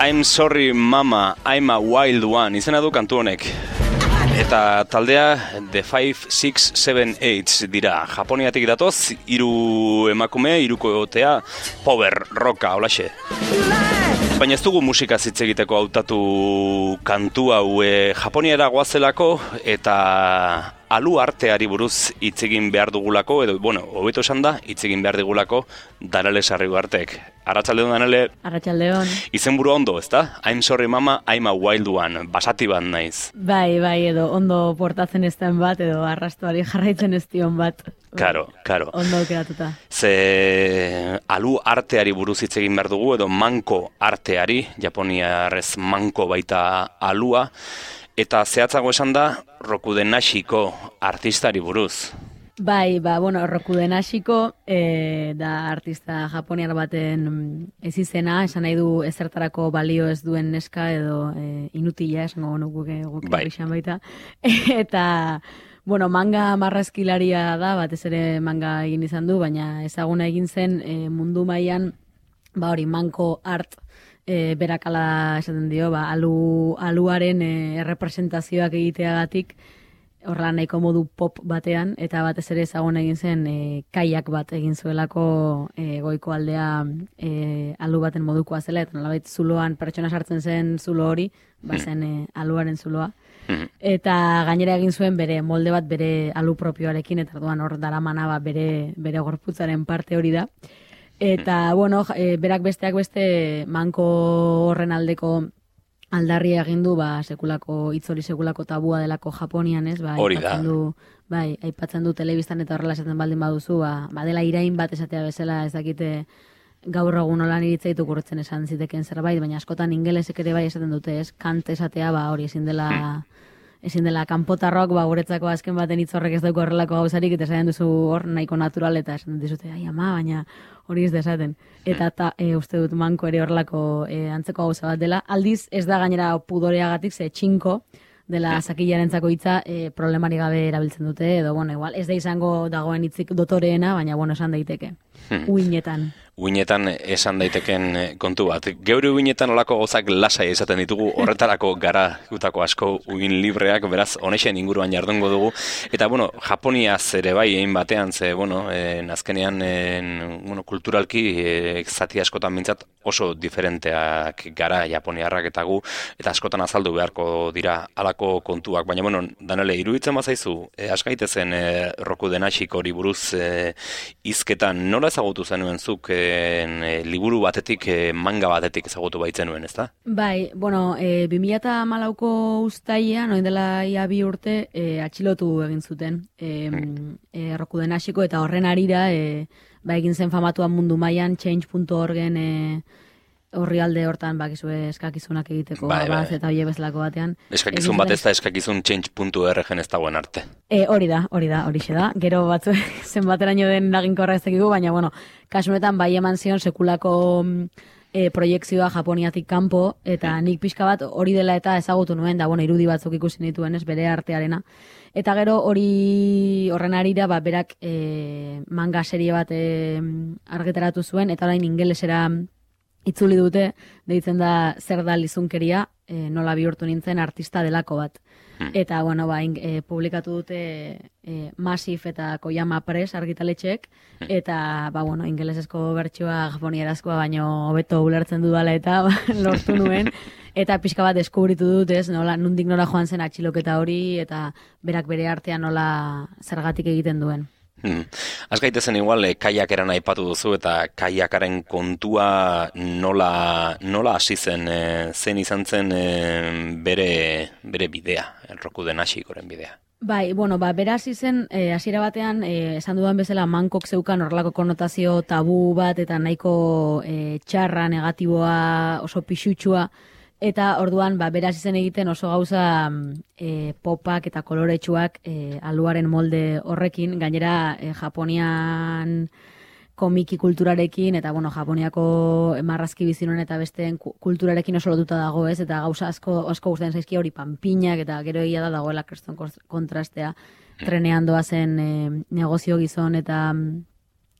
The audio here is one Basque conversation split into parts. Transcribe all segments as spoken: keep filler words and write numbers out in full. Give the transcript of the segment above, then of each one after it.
I'm sorry mama, I'm a wild one, izena du kantu honek. Eta taldea The five, six, seven, eight dira. Japoniatik datoz, hiru emakume, hirukotea, power rocka, holaxe. Baina ez dugu musika hitz egiteko hautatu kantu hau e, Japoniara goazelako eta alu arteari buruz hitz egin behar dugulako, edo, bueno, hobeto esan da, hitz egin behar dugulako Danele Sarriugartek. Arratsaldeon, Danele. Arratsaldeon. Izenburu ondo, ezta? I'm sorry mama, I'm a wild one. Basati bat naiz. Bai, bai, edo ondo portatzen ez den bat, edo arrastuari jarraitzen ez dion bat. Karo, karo. Ondo keratuta. Ze alu arteari buruz hitz egin behar dugu, edo manko arteari, japoniarrez manko baita alua, eta zehatzago esan da, Rokuden Nashiko artistari buruz. Bai, ba, bueno, Rokuden Nashiko e, da artista japoniar baten ez izena, esan nahi du ezertarako balio ez duen neska edo e, inutila, esango guke guk bai. Izan baita. Eta, bueno, manga marrazkilaria da, batez ere manga egin izan du, baina ezaguna egin zen e, mundu mailan, ba hori, manko art, e, berakala esaten dio, ba, alu, aluaren e, errepresentazioak egiteagatik, horrela nahiko modu pop batean, eta batez ere ezagun egin zen e, kaiak bat egin zuelako e, goiko aldea e, alu baten modukoa zela, eta nolabait zuloan pertsona sartzen zen zulo hori, bazen e, aluaren zuloa. Eta gainera egin zuen bere molde bat bere alu propioarekin, eta orduan hor daramana ba, bere, bere gorputzaren parte hori da. Eta, bueno, e, berak besteak beste manko horren aldeko aldarria egin du, ba, sekulako, itzori sekulako tabua delako Japonian, ez? Ba, hori da. Du, bai, aipatzen du telebistan eta horrela esaten baldin baduzu, ba, badela irain bat esatea bezala, ez dakite gaur egun nolan iritzaitu kurtzen esan ziteken zerbait, baina askotan ingelesek ere bai esaten dute, ez? Kant esatea, ba, hori ezin dela... ezin dela kanpotarrok, ba, guretzako azken baten hitz horrek ez dauko horrelako gauzarik, eta esaten duzu hor nahiko natural, eta esaten dizute, ai ama, baina hori ez desaten. Eta ta, e, uste dut manko ere horrelako e, antzeko gauza bat dela. Aldiz, ez da gainera pudoreagatik, ze txinko dela zakilarentzako hitza e, problemari gabe erabiltzen dute, edo, bueno, igual, ez da izango dagoen hitzik dotoreena, baina, bueno, esan daiteke. Uinetan. Uinetan esan daiteken kontu bat. Geure uinetan olako gozak lasai esaten ditugu, horretarako gara gutako asko uin libreak, beraz, honexen inguruan jardungo dugu. Eta, bueno, Japoniaz ere bai, egin batean, ze, bueno, en, azkenean, en, bueno, kulturalki, e, zati askotan bintzat oso diferenteak gara japoniarrak eta gu, eta askotan azaldu beharko dira halako kontuak. Baina, bueno, Danele, iruditzen bazaizu, e, askaitezen e, Rokuden Nashiko hori buruz e, hizketan, nola ezagutu zenuen zuk e, liburu batetik, e, manga batetik ezagutu baitzen nuen, ezta? Bai, bueno, e, bi mila hamalauko uztailean, orain dela ia bi urte, e, atxilotu egin zuten e, hmm. e, Rokuden Nashiko, eta horren arira, e, ba, egin zen famatuan mundu mailan change punto org-en e, horri alde hortan bakizue eskakizunak egiteko, bai, abaz, bai. Eta hile bezalako batean. Eskakizun bat ez da eskakizun change punto org-en ez dagoen arte. E, hori da, hori da, hori da. Gero batzu zenbateraino den laginkorra ez dakigu, baina, bueno, kasunetan bai eman zion sekulako e, proiekzioa Japoniatik kanpo, eta nik pixka bat hori dela eta ezagutu nuen, da, bueno, irudi batzuk ikusi nituen, ez, bere artearena. Eta gero hori horren arira, ba, berak e, manga serie bat e, argitaratu zuen, eta orain ingelesera itzuli dute, deitzen da zer da lizunkeria, e, nola bihurtu nintzen artista delako bat. Hmm. Eta, bueno, ba, in, e, publikatu dute e, Massive eta Koyama Press argitaletxeek, hmm. eta, ba, bueno, ingelesezko bertsioa japonierazkoa baino hobeto ulertzen dudala eta ba, lortu nuen, eta pixka bat deskubritu dut, ez, nola, nundik nora joan zen atxiloketa hori, eta berak bere artean nola zergatik egiten duen. Hmm. Az gaitezen igual, eh, kaiakeran aipatu duzu eta kaiakaren kontua nola, nola hasi zen, eh, zen izan zen eh, bere, bere bidea, Rokuden Nashikoren bidea. Bai, bueno, ba, bera hasi zen, hasiera e, batean, e, esan dudan bezala mankok zeukan horrelako konotazio tabu bat eta nahiko e, txarra, negatiboa, oso pixutsua, eta orduan, ba, bera hasi zen egiten oso gauza e, popak eta koloretsuak e, aluaren molde horrekin, gainera e, Japonian komiki kulturarekin, eta, bueno, Japoniako marrazki bizinoen eta besteen kulturarekin oso lotuta dago, ez, eta gauza asko, asko gustatzen zaizkia hori panpinak, eta gero egia da dagoela kriston kontrastea, trenean doazen e, negozio gizon eta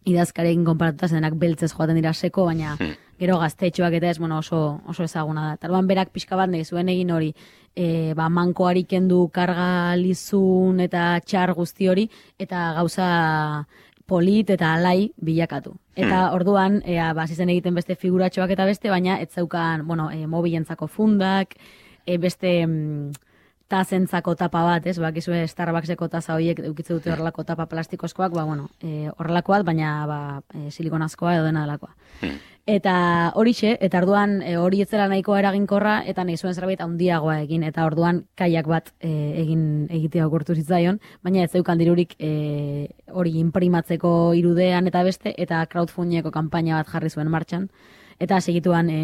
idazkarekin konparatuta zenak beltzez joaten dira seko, baina gero gaztetxoak eta ez, bueno, oso, oso ezaguna da. Tarduan berak pixka bat nahi zuen egin hori, e, ba, mankoari kendu karga lizun eta txar guzti hori, eta gauza polit eta alai bilakatu. Eta hmm. orduan, ea, ba, zizen egiten beste figuratxoak eta beste, baina ez zeukan, bueno, e, mobilentzako fundak, e, beste mm, tazentzako tapa bat, ez, bak, izue Starbuckseko taza horiek eukitze dute horrelako tapa plastikozkoak, ba, bueno, e, horrelakoak, baina ba, e, silikonazkoa edo dena delakoa. Hmm. Eta horixe, eta orduan e, hori etzela nahikoa eraginkorra, eta nahi zuen zerbait handiagoa egin, eta orduan kaiak bat e, egin egitea okurtu zitzaion, baina ez zeukan dirurik e, hori imprimatzeko irudean eta beste, eta crowdfundingeko kanpaina bat jarri zuen martxan, eta segituan e,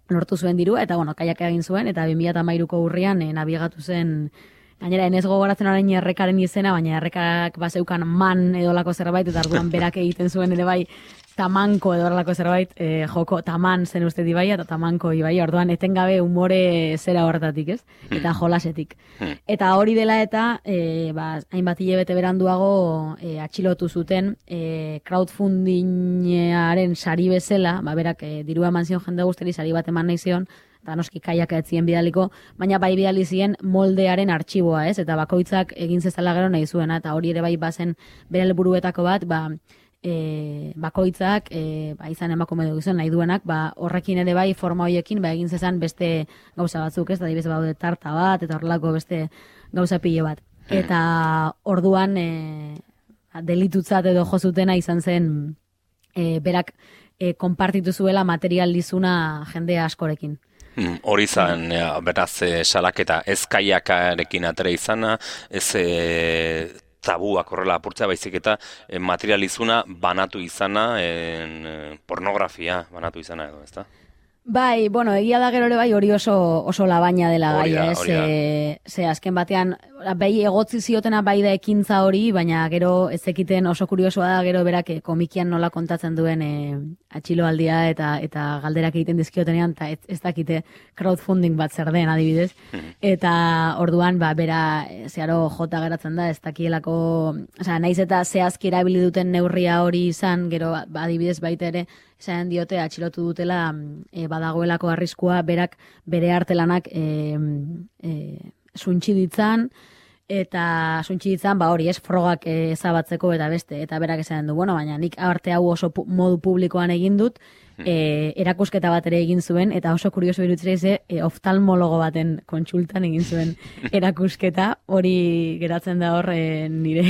lortu zuen diru, eta bueno, kaiak egin zuen, eta bi mila hamairuko urrian e, nabigatu zen. Gainera, enez gogoratzen orain errekaren izena, baina errekak bazeukan man edolako zerbait, eta orduan berak egiten zuen ere bai tamanko edolako zerbait, e, joko taman zen uste dibaia, eta tamanko ibai, orduan etengabe umore zera horretatik, ez? Eta jolasetik. Eta hori dela eta, e, ba, hainbat hilabete beranduago e, atxilotu zuten e, crowdfundingaren sari bezala, ba, berak e, dirua eman zion jende guzteri sari bat eman nahi zion, eta noski kaiak ez zien bidaliko, baina bai bidali zien moldearen artxiboa, ez? Eta bakoitzak egin zezala gero nahi zuena, eta hori ere bai bazen bere helburuetako bat, ba, e, bakoitzak, e, ba, izan emakume dugu zen nahi duenak, ba, horrekin ere bai forma horiekin, ba, egin zezan beste gauza batzuk, ez? Da, dibez baude tarta bat, eta horrelako beste gauza pile bat. Eta orduan, e, delitutzat edo jozutena izan zen, e, berak e, konpartitu zuela material lizuna jende askorekin. Hori izan, ja, beraz, e, salaketa ez kaiakarekin atera izana, ez e, tabuak horrela apurtzea, baizik eta e, materializuna banatu izana, e, pornografia banatu izana edo, ezta? Bai, bueno, egia da gero ere bai hori oso oso labaina dela gaia, ez? E, ze azken batean bai egotzi ziotena bai da ekintza hori, baina gero ez ekiten oso kuriosoa da gero berak e, komikian nola kontatzen duen e, atxiloaldia eta eta galderak egiten dizkiotenean eta ez, ez dakite crowdfunding bat zer den adibidez. Eta orduan ba bera zeharo jota geratzen da, ez dakielako, osea, naiz eta zehazki erabili duten neurria hori izan, gero ba, adibidez baita ere esan diote atxilotu dutela e, badagoelako arriskua berak bere artelanak e, e, suntxi ditzan, eta suntxi ditzan, ba hori ez, frogak e, ezabatzeko eta beste, eta berak esan du, bueno, baina nik arte hau oso pu modu publikoan egin dut, e, erakusketa bat ere egin zuen, eta oso kurioso irutzera ize, e, oftalmologo baten kontsultan egin zuen erakusketa, hori geratzen da hor e, nire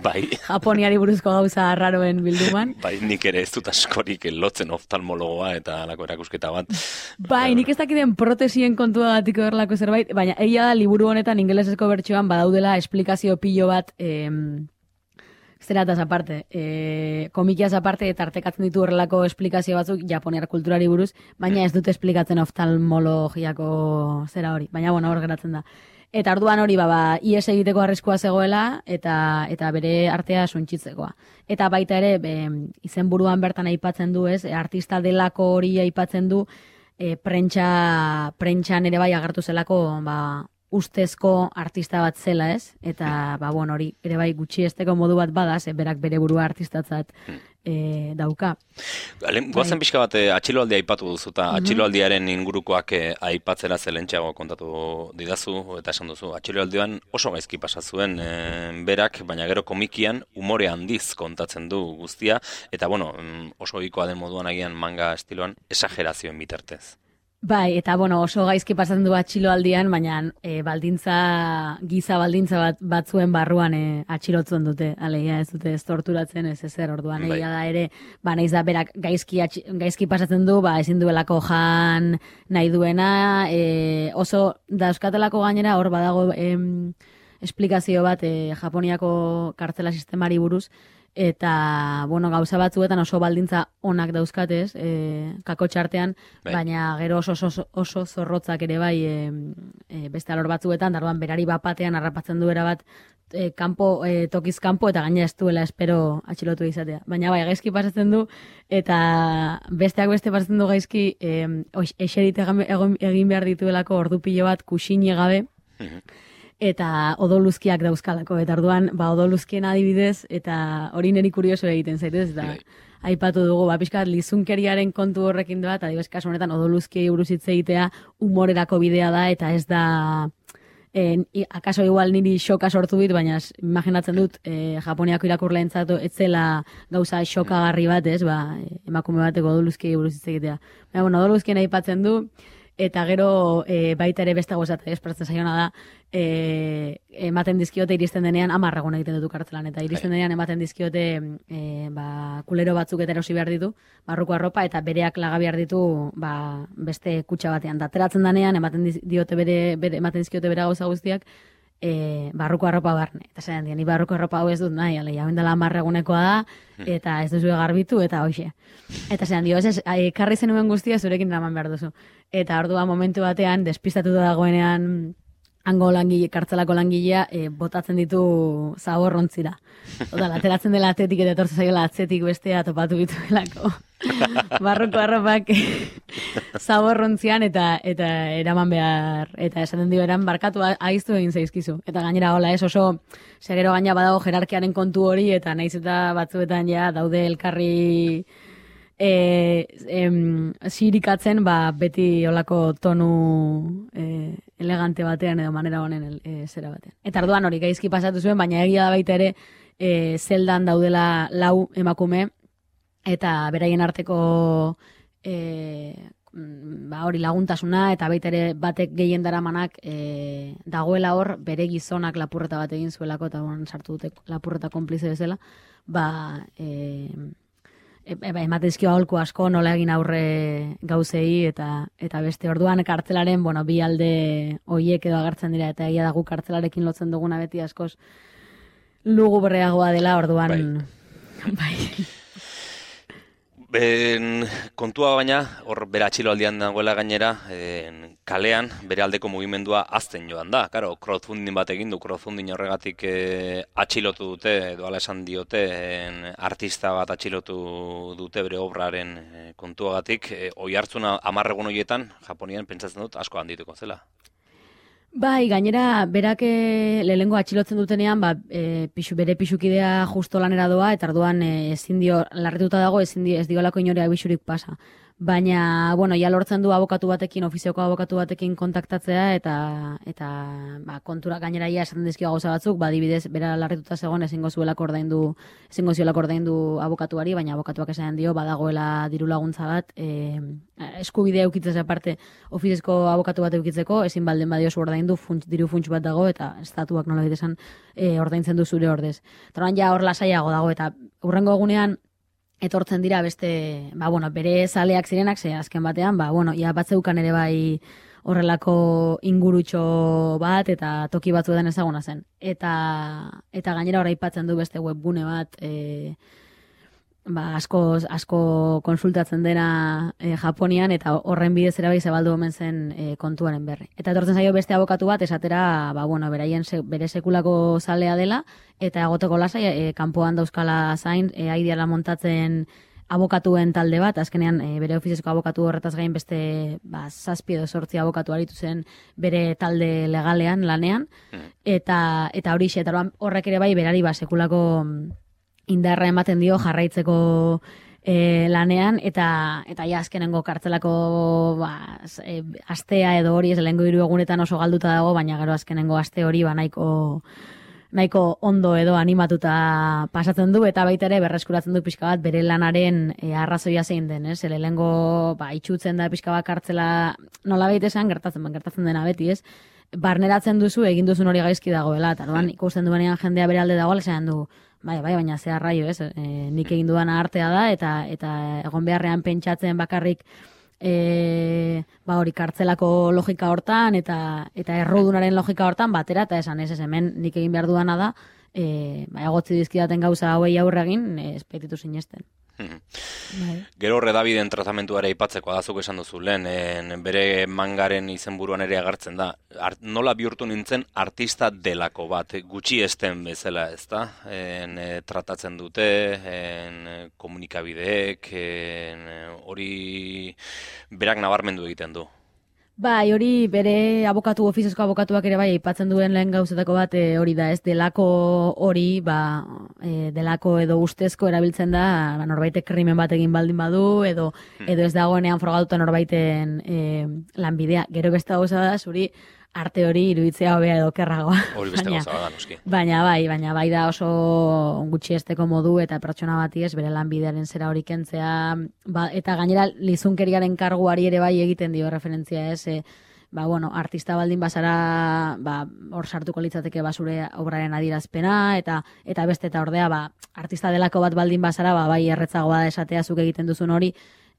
bai. Japoniari buruzko gauza arraroen bilduman. Bai, nik ere ez dut askorik lotzen oftalmologoa eta alako erakusketa bat. Bai, nik ez dakiten protesien kontua gatiko erlako zerbait, baina egia da liburu honetan ingelesezko bertsioan badaudela esplikazio pilo bat em, zerataz aparte, e, komikiaz aparte eta artekatzen ditu horrelako esplikazio batzuk japoniar kulturari buruz, baina ez dute esplikatzen oftalmologiako zera hori, baina bueno, hor geratzen da. Eta orduan hori ba, ba ies egiteko arriskua zegoela eta eta bere artea suntsitzekoa. Eta baita ere be, izenburuan bertan aipatzen du, ez, artista delako hori aipatzen du, e, prentsa prentsan ere bai agertu zelako ba ustezko artista bat zela, ez? Eta, ba, bueno, hori, ere bai gutxi esteko modu bat bada, ze berak bere burua artistatzat e, dauka. Goazen pixka bat, atxiloaldia aipatu duzu, eta atxiloaldiaren ingurukoak aipatzera zelentxeago kontatu didazu, eta esan duzu, atxiloaldian oso gaizki pasa zuen e, berak, baina gero komikian umore handiz kontatzen du guztia, eta, bueno, oso ohikoa den moduan agian manga estiloan, esagerazioen bitartez. Bai, eta bueno, oso gaizki pasatzen du atxiloaldian, baina e, baldintza, giza baldintza bat batzuen barruan e, atxilotzen dute, alegia ez dute ez torturatzen ez ezer orduan, bai. Egia da ere, ba naiz da berak gaizki, atxi, gaizki pasatzen du, ba ezin duelako jan nahi duena, e, oso dauzkatelako gainera hor badago em, esplikazio bat e, Japoniako kartzela sistemari buruz, eta, bueno, gauza batzuetan oso baldintza onak dauzkatez, e, kako txartean, bai. Baina gero oso, oso, oso zorrotzak ere bai e, e, beste alor batzuetan, darban berari bapatean harrapatzen du erabat e, kanpo, e, tokiz kanpo, eta gaina ez duela espero atxilotu izatea. Baina bai, gaizki pasatzen du, eta besteak beste pasatzen du gaizki, e, eserit egin behar dituelako ordu pilo bat kusine gabe, eta odoluzkiak dauzkalako, eta orduan, ba, odoluzkien adibidez, eta hori niri kurioso egiten zaitez, eta aipatu dugu, ba, pixka bat lizunkeriaren kontu horrekin doa, eta adibidez kasu honetan odoluzkiei buruz hitz egitea humorerako bidea da, eta ez da... En, akaso igual niri xoka sortu dit, baina imaginatzen dut eh, Japoniako irakurleentzat ez zela gauza xokagarri bat, ez, ba, emakume bateko odoluzkiei buruz hitz egitea. Baina, bueno, odoluzkien aipatzen du, eta gero e, baita ere beste gozat, esperatzen zaiona da, e, ematen dizkiote iristen denean, hamar egun egiten dut kartzelan, eta iristen denean ematen dizkiote e, ba, kulero batzuk eta erosi behar ditu, barruko arropa, eta bereak laga behar ditu ba, beste kutxa batean. Da, ateratzen denean, ematen diote bere, bere, ematen dizkiote bere gauza guztiak, e, barruko arropa barne. Eta zelan dien, ni barruko arropa hau ez dut nahi, ale, jauen dela hamar egunekoa da, eta ez duzu garbitu, eta hoxe. Eta zelan dio, ez ez, karri zenuen guztia zurekin eraman behar duzu. Eta ordua momentu batean, despistatuta dagoenean, hango langile, kartzelako langilea, e, botatzen ditu zaborrontzira. Oda, ateratzen dela atzetik eta etortzen zaiola atzetik bestea topatu dituelako. Barruko arropak zaborrontzian eta eta eraman behar, eta esaten dio eran barkatu aiztu egin zaizkizu. Eta gainera hola ez oso, segero gaina badago jerarkiaren kontu hori, eta naiz eta batzuetan ja daude elkarri... E, em, zirikatzen, ba, beti olako tonu e, elegante batean edo manera honen e, zera batean. Eta arduan hori gaizki pasatu zuen, baina egia da baita ere e, zeldan daudela lau emakume, eta beraien arteko e, ba, hori laguntasuna, eta baita ere batek gehien daramanak e, dagoela hor bere gizonak lapurreta bat egin zuelako, eta bon, sartu dute lapurreta konplize bezala, ba... E, Eba, ematezkio aholku asko nola egin aurre gauzei eta eta beste orduan kartzelaren, bueno, bi alde hoiek edo agertzen dira, eta egia dago kartzelarekin lotzen duguna beti askoz lugubreagoa dela orduan. Bai. bai. Ben, kontua baina, hor bere atxiloaldian dagoela gainera, en, kalean bere aldeko mugimendua azten joan da. Karo, crowdfunding bat egin du, crowdfunding horregatik e, atxilotu dute, edo ala esan diote, en, artista bat atxilotu dute bere obraren e, kontuagatik. E, oi hartzuna amarregun horietan, Japonian pentsatzen dut, asko handituko zela. Bai, gainera, berak lehengo atxilotzen dutenean, ba, e, pixu, bere pixukidea justo lanera doa, eta arduan e, ezin dio, larrituta dago, ezin dio, ez diolako inorea bixurik pasa. Baina, bueno, ja lortzen du abokatu batekin, ofizioko abokatu batekin kontaktatzea, eta eta ba, kontura gainera ia esaten dizkio gauza batzuk, ba, adibidez, bera larrituta zegoen ezingo zuelako ordaindu, ezingo zuelako ordaindu abokatuari, baina abokatuak esan dio, badagoela diru laguntza bat, e, eskubidea eukitzez aparte, ofizizko abokatu bat eukitzeko, ezin balden badiozu ordaindu, funts, diru funts bat dago, eta estatuak nola bitesan e, ordaintzen du zure ordez. Taran ja hor lasaiago dago, eta hurrengo egunean, etortzen dira beste, ba, bueno, bere zaleak zirenak, ze azken batean, ba, bueno, ja batzeukan ere bai horrelako ingurutxo bat, eta toki batzuetan ezaguna zen. Eta, eta gainera hor aipatzen du beste webgune bat, e, ba, asko, asko konsultatzen dena e, Japonian, eta horren bidez ere bai zabaldu omen zen e, kontuaren berri. Eta etortzen zaio beste abokatu bat, esatera, ba, bueno, beraien se, bere sekulako zalea dela, eta egoteko lasai, e, kanpoan dauzkala zain, e, aidiala montatzen abokatuen talde bat, azkenean e, bere ofizizko abokatu horretaz gain beste ba, zazpi edo sortzi abokatu aritu zen bere talde legalean, lanean, eta, eta hori xe, eta horrek ere bai berari ba, sekulako indarra ematen dio jarraitzeko e, lanean, eta eta ja azkenengo kartzelako ba, e, astea edo hori ez lehengo hiru egunetan oso galduta dago, baina gero azkenengo aste hori ba nahiko nahiko ondo edo animatuta pasatzen du, eta baita ere berreskuratzen du pixka bat bere lanaren e, arrazoia zein den, ez? Lehengo ba, itxutzen da pixka bat kartzela nola baita esan, gertatzen, gertatzen dena beti, ez? Barneratzen duzu, egin duzun hori gaizki dagoela, eta orduan ikusten duenean jendea bere alde dagoela, esan du, bai, bai, baina ze arraio, ez? E, nik egin duana artea da, eta eta egon beharrean pentsatzen bakarrik e, ba hori kartzelako logika hortan, eta eta errudunaren logika hortan batera, eta esan ez, ez hemen nik egin behar duana da, e, ba, egotzi dizkidaten gauza hauei aurre egin, ez petitu sinesten. Bai. Gero redabiden tratamentuare aipatzeko adazuk esan duzu lehen, en, bere mangaren izenburuan ere agertzen da. Art, nola bihurtu nintzen artista delako bat, gutxi esten bezala, ez da? En, e, tratatzen dute, en, komunikabideek, en, hori berak nabarmendu egiten du. Bai, hori bere abokatu, ofiziozko abokatuak ere bai, aipatzen duen lehen gauzetako bat e, hori da, ez delako hori, ba, e, delako edo ustezko erabiltzen da, ba, norbaitek krimen bat egin baldin badu, edo, edo ez dagoenean frogatuta norbaiten e, lanbidea. Gero beste gauza da, zuri arte hori iruditzea hobea edo kerragoa. Hori beste gauza da, noski. Baina bai, baina bai da oso gutxiesteko modu eta pertsona bati ez bere lanbidearen zera hori kentzea, ba, eta gainera lizunkeriaren karguari ere bai egiten dio referentzia ez, e, ba, bueno, artista baldin bazara, ba, hor sartuko litzateke basure obraren adierazpena, eta eta beste eta ordea, ba, artista delako bat baldin bazara, ba, bai erretzagoa da esatea zuk egiten duzun hori,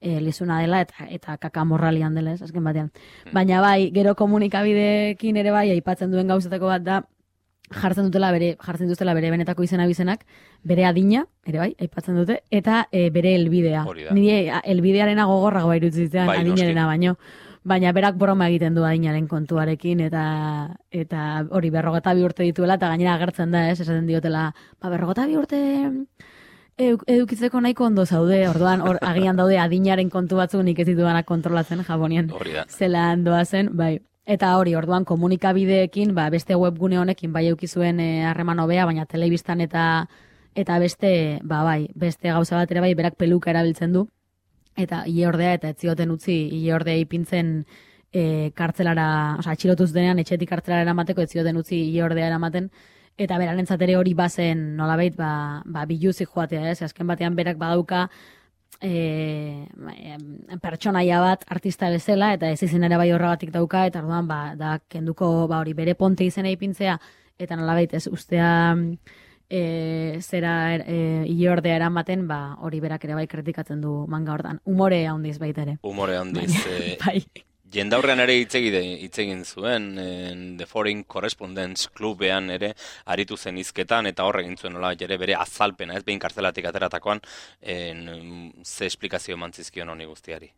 E, lizuna dela eta eta kaka morralian dela, ez, azken batean. Baina bai, gero komunikabideekin ere bai, aipatzen duen gauzetako bat da, jartzen dutela bere, jartzen dutela bere benetako izena bizenak, bere adina, ere bai, aipatzen dute, eta e, bere helbidea. Nire helbidearena gogorra bai irutzitzen bai, adinarena baino. Baina berak broma egiten du adinaren kontuarekin, eta eta hori berrogeta bi urte dituela, eta gainera agertzen da, ez, esaten diotela, ba, berrogeta bi urte edukitzeko nahiko ondo zaude, orduan or, agian daude adinaren kontu batzuk nik ez ditudanak kontrolatzen Japonian. Zelan doazen, bai. Eta hori, orduan komunikabideekin, ba, beste webgune honekin bai eukizuen harreman e, hobea, baina telebistan eta eta beste, ba bai, beste gauza bat ere bai, berak peluka erabiltzen du, eta ile ordea, eta ez zioten utzi ile ordea ipintzen e, kartzelara, oza, atxilotuz denean, etxetik kartzelara eramateko, ez zioten utzi ile ordea eramaten, eta berarentzat ere hori bazen nolabait ba, ba biluzik joatea, ez? Azken batean berak badauka e, pertsonaia bat artista bezala, eta ez izen ere bai horregatik dauka, eta orduan ba, da kenduko ba, hori bere ponte izena ipintzea, eta nolabait ez ustea e, zera e, iordea eramaten, ba, hori berak ere bai kritikatzen du manga hortan. Humore handiz baita ere. Humore handiz. E, bai. Jendaurrean ere hitz egin zuen, en The Foreign Correspondents Clubean ere aritu zen hizketan, eta horre egin zuen nola ere bere azalpena, ez behin kartzelatik ateratakoan, en, ze esplikazio emantzizkion honi guztiari.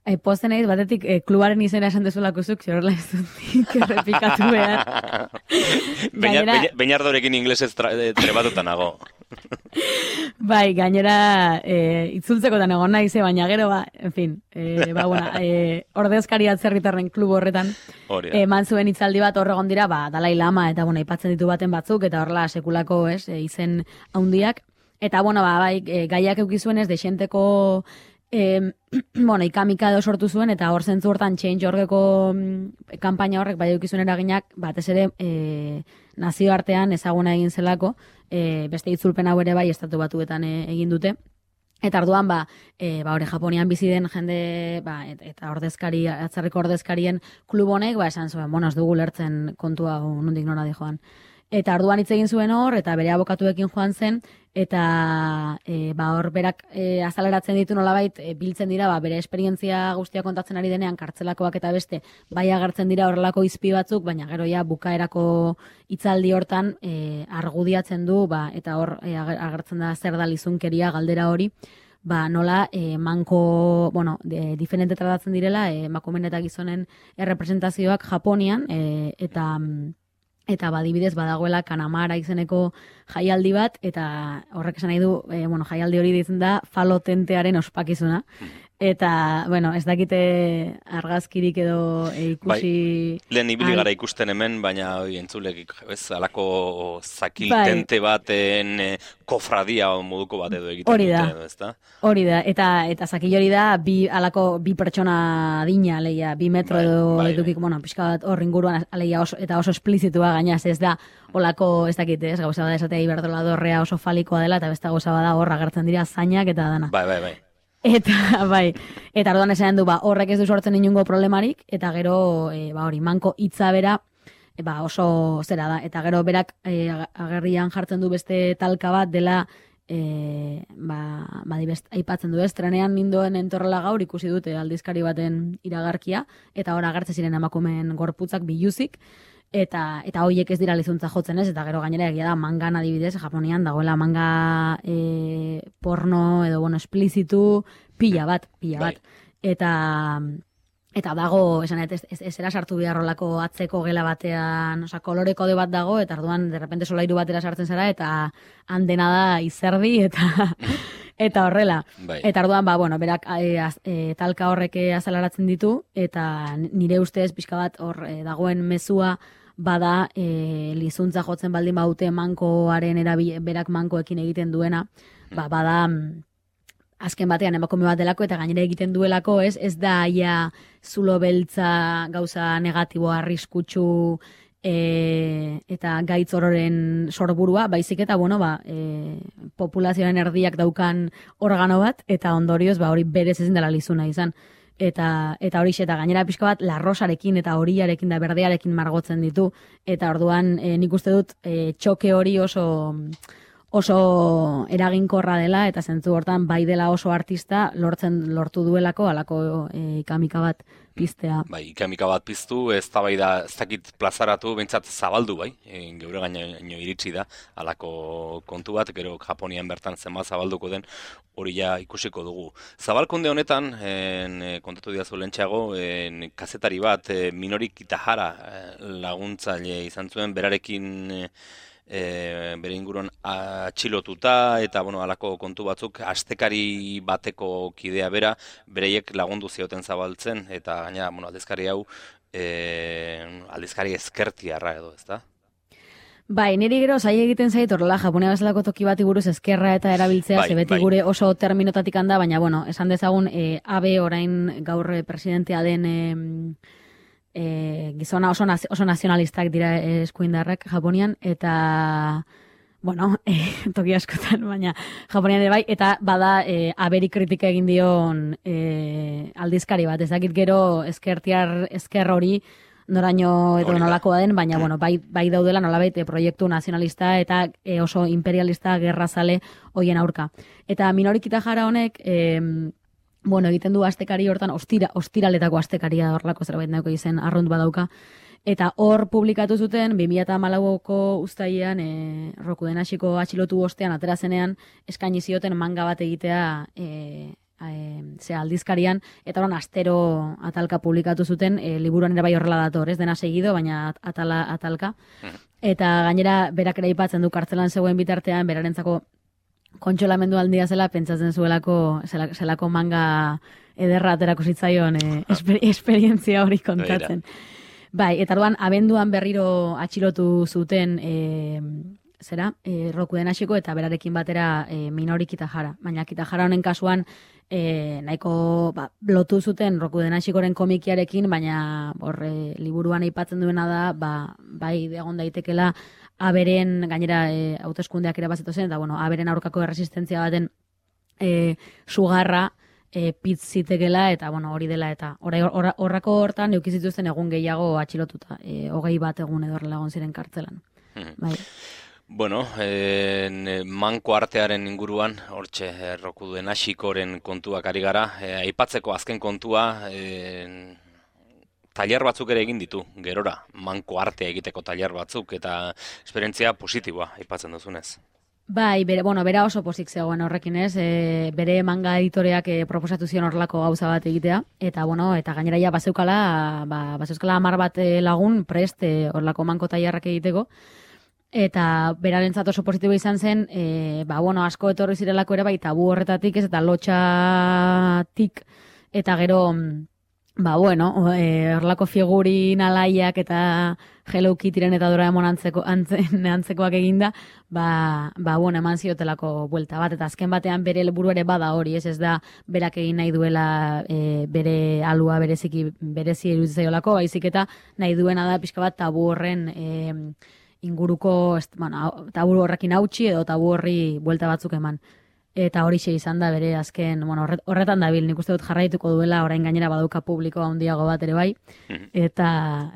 Ai, posten egit, batetik, eh, klubaren izena esan dezulako zuk, zorla ez dut errepikatu behar. Beinardorekin inglesez trebatuta nago. Bai, gainera, e, itzultzekotan egon nahi ze, baina gero, ba, en fin, e, ba, bueno, e, ordezkari atzerritarren klub horretan, eman zuen hitzaldi bat horregon dira, ba, Dalai Lama, eta, bueno, ipatzen ditu baten batzuk, eta horrela sekulako, ez, e, izen haundiak, eta, bueno, ba, bai, e, gaiak eukizuen ez, desenteko, e, bueno, ikamika edo sortu zuen, eta hor zentzu hortan Change orgeko mm, kanpaina horrek, bai, eukizuen eraginak, batez ere, e, nazioartean ezaguna egin zelako, e, beste itzulpen hau ere bai estatu batuetan e, egin dute. Eta orduan, ba, e, ba, hori Japonian bizi den jende, ba, et, eta ordezkari, atzerriko ordezkarien klub honek, ba, esan zuen, bueno, ez dugu lertzen kontua nondik nora di joan. Eta orduan hitz egin zuen hor, eta bere abokatuekin joan zen, eta e, ba, hor berak e, azaleratzen ditu nolabait, e, biltzen dira, ba, bere esperientzia guztia kontatzen ari denean, kartzelakoak eta beste, bai agertzen dira horrelako izpi batzuk, baina gero ja bukaerako hitzaldi hortan e, argudiatzen du, ba, eta hor e, agertzen da zer da lizunkeria galdera hori, ba, nola e, manko, bueno, de, diferente tratatzen direla, e, emakumeen eta gizonen errepresentazioak Japonian, e, eta... Eta badibidez badagoela Kanamara izeneko jaialdi bat, eta horrek esan nahi du, e, bueno, jaialdi hori ditzen da falotentearen ospakizuna. Eta, bueno, ez dakite argazkirik edo e, ikusi... Bai, lehen ibili gara ikusten hemen, baina oi, entzulek, ez, alako zakiltente bai. Baten e, kofradia moduko bat edo egiten hori dute, da. Edo, ez da? Hori da, eta, eta zakil hori da, bi, alako bi pertsona adina, aleia, bi metro bai, edo bai, edukik, bai. Bueno, pixka bat hor inguruan, aleia, oso, eta oso esplizitua gainaz, ez da, olako, ez dakite, ez, gauza bada esatea iberdola dorrea oso falikoa dela, eta beste gauza bada hor agertzen dira zainak eta dana. Bai, bai, bai. Eta, bai, eta orduan esan du, ba, horrek ez du sortzen inungo problemarik, eta gero, e, ba, hori, manko hitza bera, e, ba, oso zera da, eta gero berak e, agerrian jartzen du beste talka bat dela, e, ba, ba, dibest, aipatzen du ez, trenean nindoen entorrela gaur ikusi dute aldizkari baten iragarkia, eta hor agertzen ziren emakumeen gorputzak biluzik, Eta eta hoiek ez dira lizuntza jotzen ez, eta gero gainera egia da mangan adibidez, Japonian dagoela manga e, porno edo bueno, esplizitu pila bat, pila bat. Eta eta dago, esan ez, ez, ez era sartu biharrolako atzeko gela batean, osea, kolore kode bat dago, eta orduan de repente solairu batera sartzen zara, eta han dena da izerdi, eta eta horrela. Bai. Eta orduan, ba, bueno, berak e, az, e, talka horrek azalaratzen ditu, eta nire ustez pixka bat hor e, dagoen mezua bada e, lizuntza jotzen baldin baute mankoaren erabil, berak mankoekin egiten duena, ba, bada azken batean emakume bat delako eta gainera egiten duelako, ez, ez da aia zulo beltza gauza negatibo arriskutsu e, eta gaitz ororen sorburua, baizik eta, bueno, ba, e, populazioaren erdiak daukan organo bat, eta ondorioz, ba, hori berez ezin dela lizuna izan. Eta eta hori eta gainera pixka bat larrosarekin eta horiarekin da berdearekin margotzen ditu, eta orduan e, nik uste dut e, txoke hori oso oso eraginkorra dela, eta zentzu hortan bai dela oso artista lortzen lortu duelako halako e, ikamika bat piztea. Bai, ikamika bat piztu, ez da bai da, ez dakit plazaratu, behintzat zabaldu bai, e, geure gaino iritsi da, halako kontu bat, gero Japonian bertan zenbat zabalduko den, hori ja ikusiko dugu. Zabalkunde honetan, en, kontatu didazu lehentxeago, en, kazetari bat, e, Minori Kitahara laguntzaile izan zuen, berarekin e, E, bere inguruan atxilotuta eta bueno, halako kontu batzuk astekari bateko kidea bera, bereiek lagundu zioten zabaltzen, eta gaina bueno, aldizkari hau e, aldizkari ezkertiarra edo, ezta? Bai, niri gero zai egiten zait horrela Japonia bezalako toki bati buruz ezkerra eta erabiltzea, bai, ze beti bai. gure oso terminotatik handa, baina bueno, esan dezagun e, abe orain gaur presidentea den e, E, gizona oso, naz, oso nazionalistak dira eskuindarrak Japonian, eta, bueno, e, toki askotan, baina Japonian ere bai, eta bada e, aberi kritika egin dion e, aldizkari bat, ez dakit gero ezkertiar, ezker hori, noraino edo nolakoa den, baina, bueno, bai, bai daudela nolabait e, proiektu nazionalista eta e, oso imperialista gerrazale hoien aurka. Eta Minori Kitahara honek, e, bueno, egiten du astekari hortan, ostira, ostiraletako astekaria horlako zerbait nahiko izen arrunt badauka. Eta hor publikatu zuten, bi mila hamalauko uztailean, e, Rokuden hasiko atxilotu ostean, atera zenean, eskaini zioten manga bat egitea e, e, ze aldizkarian, eta horan astero atalka publikatu zuten, e, liburuan ere bai horrela dator, ez dena segido, baina atala, atalka. Eta gainera, berak ere aipatzen du kartzelan zegoen bitartean, berarentzako kontsolamendu handia zela, pentsatzen zuelako zelako manga ederra aterako zitzaion e, esper, esperientzia hori kontatzen. Bai, eta orduan abenduan berriro atxilotu zuten e, zera, e, Rokuden hasiko eta berarekin batera e, Minori Kitahara. Baina Kitahara honen kasuan e, nahiko ba, lotu zuten Rokuden hasikoren komikiarekin, baina hor e, liburuan aipatzen duena da, ba, bai egon daitekela aberen, gainera e, hauteskundeak ere bazetu zen, eta bueno, aberen aurkako erresistentzia baten e, sugarra e, pitz zitekela, eta bueno, hori dela, eta horrako or, hortan eukizituzten egun gehiago atxilotuta, e, hogei bat egun edo horrela egon ziren kartzelan. Hmm. Bai. Bueno, eh, manko artearen inguruan, hortxe, eh, Rokuden hasikoren kontuak ari gara, eh, aipatzeko azken kontua, eh, tailer batzuk ere egin ditu, gerora, manko artea egiteko tailer batzuk, eta esperientzia positiboa, aipatzen duzunez. Bai, bere, bueno, bera oso pozik zegoen horrekin ez, e, bere manga editoreak e, proposatu zion horrelako gauza bat egitea, eta bueno, eta gainera ja bazeukala, ba, bazeukala hamar bat lagun prest e, horrelako manko tailerrak egiteko, eta berarentzat oso positibo izan zen, e, ba, bueno, asko etorri zirelako ere bai tabu horretatik ez, eta lotxatik, eta gero, ba, bueno, horrelako figurin alaiak eta Hello Kittyren eta Doraemon antzeko, antzen, antzekoak eginda, ba, ba, bueno, eman ziotelako buelta bat, eta azken batean bere helburu ere bada hori, ez ez da berak egin nahi duela e, bere alua bereziki berezi iruditzaiolako, baizik eta nahi duena da pixka bat tabu horren e, inguruko, ez, bueno, tabu horrekin hautsi edo tabu horri buelta batzuk eman. Eta horixe izan da bere azken, bueno, horretan dabil, nik uste dut jarraituko duela, orain gainera baduka publikoa handiago bat ere bai, eta,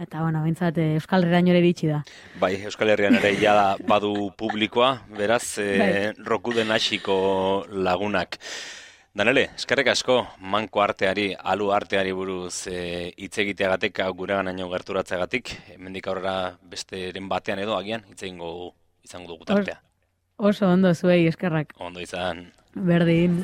eta bueno, bintzat, Euskal Herrian ere iritsi da. Bai, Euskal Herrian ere ja badu publikoa, beraz, e, Rokuden hasiko lagunak. Danele, eskerrik asko, manko arteari, alu arteari buruz hitz e, egiteagatik, gureganaino gerturatzeagatik, hemendik aurrera besteren batean edo agian, hitz egingo izango dugu tartea. Oso ondo zuei, eskerrak. Ondo izan. Berdin.